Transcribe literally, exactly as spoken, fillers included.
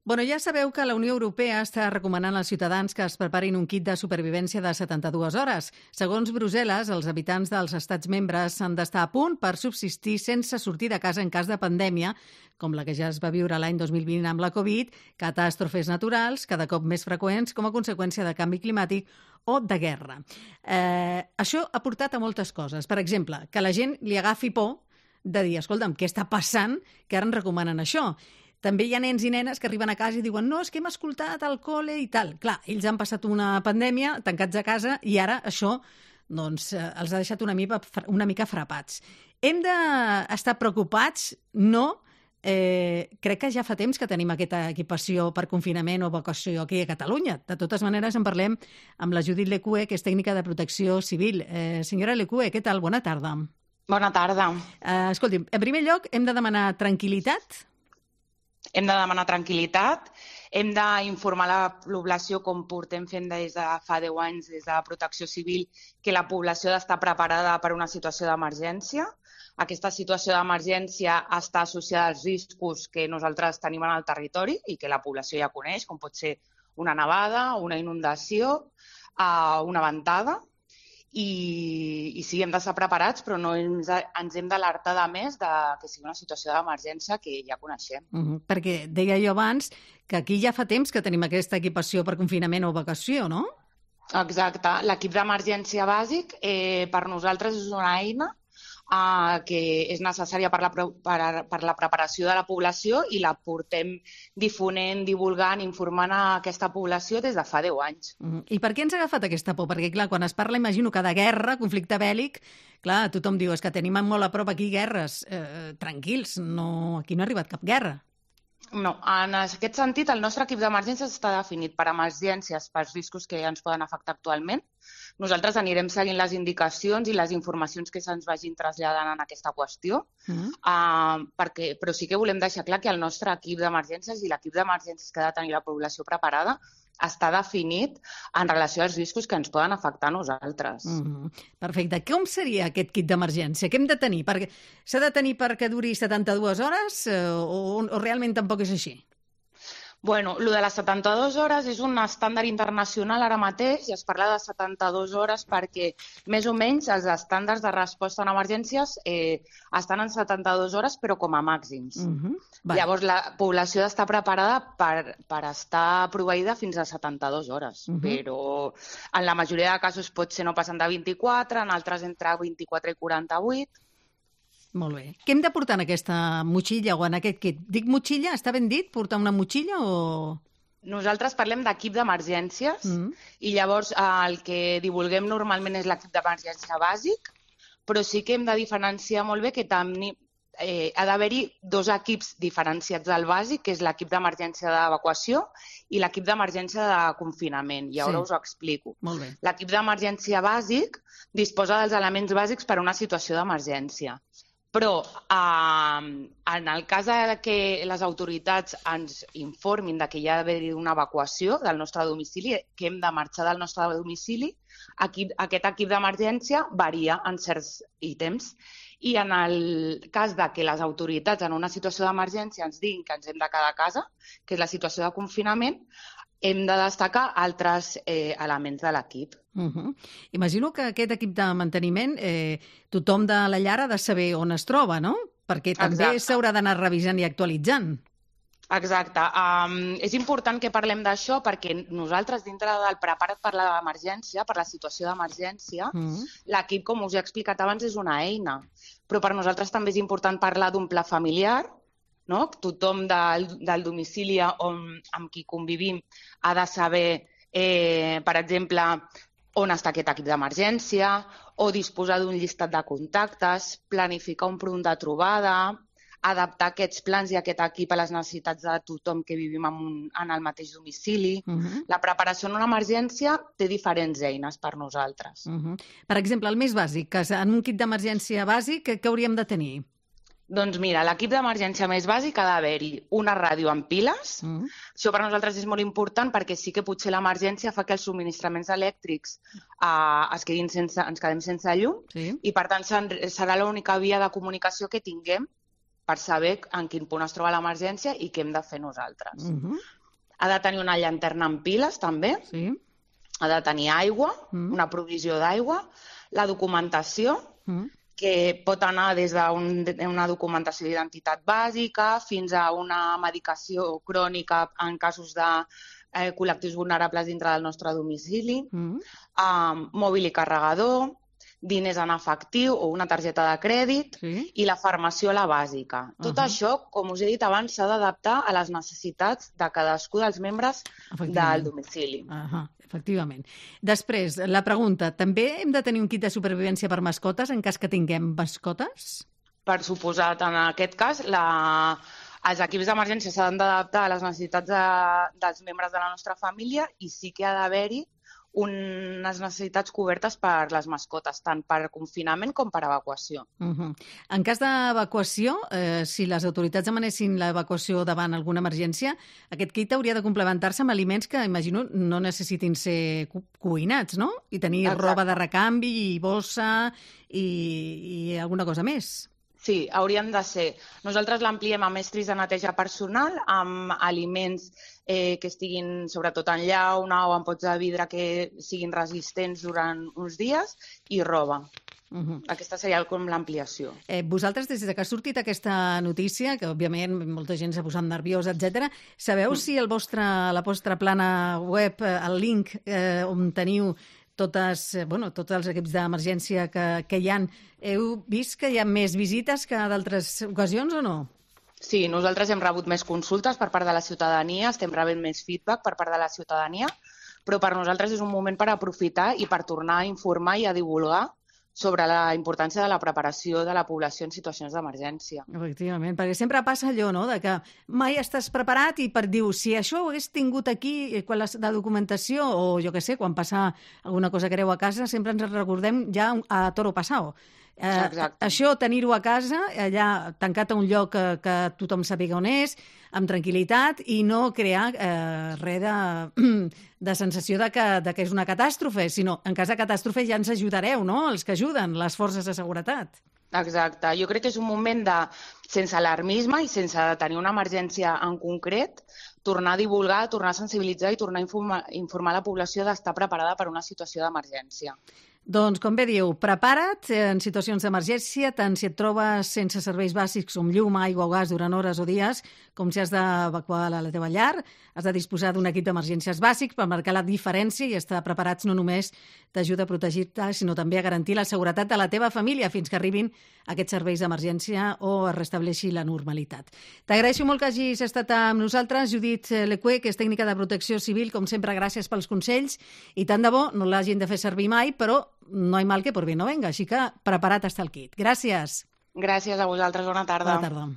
Bueno, ja sabeu que la Unió Europea està recomanant als ciutadans que es preparin un kit de supervivència de setanta-dues hores. Segons Brussel·les, els habitants dels estats membres han d'estar a punt per subsistir sense sortir de casa en cas de pandèmia, com la que ja es va viure l'any dos mil vint amb la Covid, catàstrofes naturals, cada cop més freqüents com a conseqüència de canvi climàtic o de guerra. Eh, això ha portat a moltes coses. Per exemple, que la gent li agafi por de dir, escolta'm, què està passant que ara ens recomanen això? També hi ha nens i nenes que arriben a casa i diuen no, és que hem escoltat al col·le i tal. Clar, ells han passat una pandèmia, tancats a casa, i ara això doncs, els ha deixat una mica, una mica frapats. Hem d'estar preocupats? No. Eh, crec que ja fa temps que tenim aquesta equipació per confinament o vacació aquí a Catalunya. De totes maneres, en parlem amb la Judit Lecue, que és tècnica de protecció civil. Eh, senyora Lecue, què tal? Bona tarda. Bona tarda. Eh, escolti'm, en primer lloc, hem de demanar tranquil·litat? Hem de demanar tranquil·litat, hem d'informar la població, com portem fent des de fa deu anys des de Protecció Civil, que la població ha d'estar preparada per una situació d'emergència. Aquesta situació d'emergència està associada als riscos que nosaltres tenim en el territori i que la població ja coneix, com pot ser una nevada, una inundació, una ventada. I, i sí, hem d'estar preparats, però no ens, ens hem d'alertar de més de que sigui una situació d'emergència que ja coneixem. Uh-huh. Perquè deia jo abans que aquí ja fa temps que tenim aquesta equipació per confinament o vacació, no? Exacte. L'equip d'emergència bàsic eh, per nosaltres és una eina Uh, que és necessària per la, per, per la preparació de la població i la portem difonent, divulgant, informant a aquesta població des de fa deu anys. Mm. I per què ens ha agafat aquesta por? Perquè, clar, quan es parla, imagino que de guerra, conflicte bèl·lic, clar, tothom diu, és que tenim molt a prop aquí guerres. Eh, tranquils, no, aquí no ha arribat cap guerra. No, en aquest sentit, el nostre equip d'emergències està definit per emergències, pels riscos que ens poden afectar actualment. Nosaltres anirem seguint les indicacions i les informacions que se'ns vagin traslladant en aquesta qüestió, mm. uh, perquè, però sí que volem deixar clar que el nostre equip d'emergències i l'equip d'emergències que ha de tenir la població preparada està definit en relació als riscos que ens poden afectar a nosaltres. Mm-hmm. Perfecte. Com seria aquest kit d'emergència? Què hem de tenir? Perquè s'ha de tenir perquè duri setanta-dues hores eh, o, o realment tampoc és així? Bueno, el de les setanta-dues hores és un estàndard internacional ara mateix i es parla de setanta-dues hores perquè més o menys els estàndards de resposta en emergències eh, estan en setanta-dues hores però com a màxims. Uh-huh. Llavors la població ha d'estar preparada per, per estar proveïda fins a setanta-dues hores, uh-huh. però en la majoria de casos pot ser no passant de vint-i-quatre, en altres entre vint-i-quatre i quaranta-vuit. Molt bé. Què hem de portar en aquesta motxilla o en aquest kit? Dic motxilla? Està ben dit? Portar una motxilla o...? Nosaltres parlem d'equip d'emergències mm. i llavors el que divulguem normalment és l'equip d'emergència bàsic, però sí que hem de diferenciar molt bé que també eh, ha d'haver-hi dos equips diferenciats del bàsic, que és l'equip d'emergència d'evacuació i l'equip d'emergència de confinament. I ara sí. Us ho explico. L'equip d'emergència bàsic disposa dels elements bàsics per a una situació d'emergència. Però eh, en el cas que les autoritats ens informin de que hi ha d'haver una evacuació del nostre domicili, que hem de marxar del nostre domicili, aquí, aquest equip d'emergència varia en certs ítems. I en el cas de que les autoritats en una situació d'emergència ens diguin que ens hem de quedar a casa, que és la situació de confinament, hem de destacar altres eh, elements de l'equip. Uh-huh. Imagino que aquest equip de manteniment, eh, tothom de la llar ha de saber on es troba, no? Perquè també s'haurà d'anar revisant i actualitzant. Exacte. Um, és important que parlem d'això perquè nosaltres, dintre del preparat per l'emergència, per la situació d'emergència, uh-huh. l'equip, com us he explicat abans, és una eina. Però per nosaltres també és important parlar d'un pla familiar, no? Tothom del, del domicili on, amb qui convivim ha de saber, eh, per exemple, on està aquest equip d'emergència, o disposar d'un llistat de contactes, planificar un punt de trobada, adaptar aquests plans i aquest equip a les necessitats de tothom que vivim en, un, en el mateix domicili. Uh-huh. La preparació en una emergència té diferents eines per nosaltres. Uh-huh. Per exemple, el més bàsic, que en un kit d'emergència bàsic, què hauríem de tenir? Doncs mira, l'equip d'emergència més bàsic ha d'haver-hi una ràdio amb piles. Mm. Això per nosaltres és molt important perquè sí que potser l'emergència fa que els subministraments elèctrics eh, es quedin sense, ens quedem sense llum sí. i per tant serà l'única via de comunicació que tinguem per saber en quin punt es troba l'emergència i què hem de fer nosaltres. Uh-huh. Ha de tenir una llanterna amb piles, també. Sí. Ha de tenir aigua, uh-huh. una provisió d'aigua, la documentació, uh-huh. que pot anar des d'una documentació d'identitat bàsica fins a una medicació crònica en casos de eh, col·lectius vulnerables dintre del nostre domicili, uh-huh. um, mòbil i carregador, diners en efectiu o una targeta de crèdit sí. i la farmaciola bàsica. Tot uh-huh. això, com us he dit abans, s'ha d'adaptar a les necessitats de cadascú dels membres del domicili. Uh-huh. Efectivament. Després, la pregunta, també hem de tenir un kit de supervivència per mascotes en cas que tinguem mascotes? Per suposat, en aquest cas, la... els equips d'emergència s'han d'adaptar a les necessitats de... dels membres de la nostra família i sí que ha d'haver-hi unes necessitats cobertes per les mascotes, tant per confinament com per evacuació. Uh-huh. En cas d'evacuació, eh, si les autoritats demanessin l'evacuació davant alguna emergència, aquest kit hauria de complementar-se amb aliments que, imagino, no necessitin ser cu cuinats, no? I tenir Exacte. roba de recanvi i bossa i, i alguna cosa més. Sí, haurien de ser. Nosaltres l'ampliem amb estris de neteja personal, amb aliments eh, que estiguin sobretot en llauna o en pots de vidre que siguin resistents durant uns dies i roba. Uh-huh. Aquesta seria com l'ampliació. Eh, vosaltres, des que ha sortit aquesta notícia, que òbviament molta gent s'ha posat nerviosa, etcètera, sabeu mm. si el vostre, la vostra plana web, el link eh, on teniu totes, bueno, tots els equips d'emergència que, que hi ha, heu vist que hi ha més visites que d'altres ocasions o no? Sí, nosaltres hem rebut més consultes per part de la ciutadania, estem rebent més feedback per part de la ciutadania, però per nosaltres és un moment per aprofitar i per tornar a informar i a divulgar sobre la importància de la preparació de la població en situacions d'emergència. Efectivament, perquè sempre passa allò, no?, de que mai estàs preparat i per dir, si això ho hagués tingut aquí, quan la, la documentació, o jo què sé, quan passa alguna cosa greu a casa, sempre ens recordem ja a toro passao. Eh, això, tenir-ho a casa, allà tancat a un lloc que, que tothom sàpiga on és, amb tranquil·litat, i no crear eh, res de, de sensació de que, de que és una catàstrofe, sinó en cas de catàstrofe ja ens ajudareu, no?, els que ajuden, les forces de seguretat. Exacte. Jo crec que és un moment de, sense alarmisme i sense tenir una emergència en concret, tornar a divulgar, tornar a sensibilitzar i tornar a informar, informar la població d'estar preparada per una situació d'emergència. Doncs, com bé diu, prepara't en situacions d'emergència, tant si et trobes sense serveis bàsics com llum, aigua o gas durant hores o dies, com si has d'evacuar la teva llar, has de disposar d'un equip d'emergències bàsics per marcar la diferència i estar preparats no només t'ajuda a protegir-te, sinó també a garantir la seguretat de la teva família fins que arribin aquests serveis d'emergència o es restableixi la normalitat. T'agraeixo molt que hagis estat amb nosaltres, Judit Lecué, que és tècnica de protecció civil, com sempre, gràcies pels consells, i tant de bo no l'hagin de fer servir mai, però no hi mal que por bien no venga, així que preparat està el kit. Gràcies. Gràcies a vosaltres, bona tarda. Bona tarda.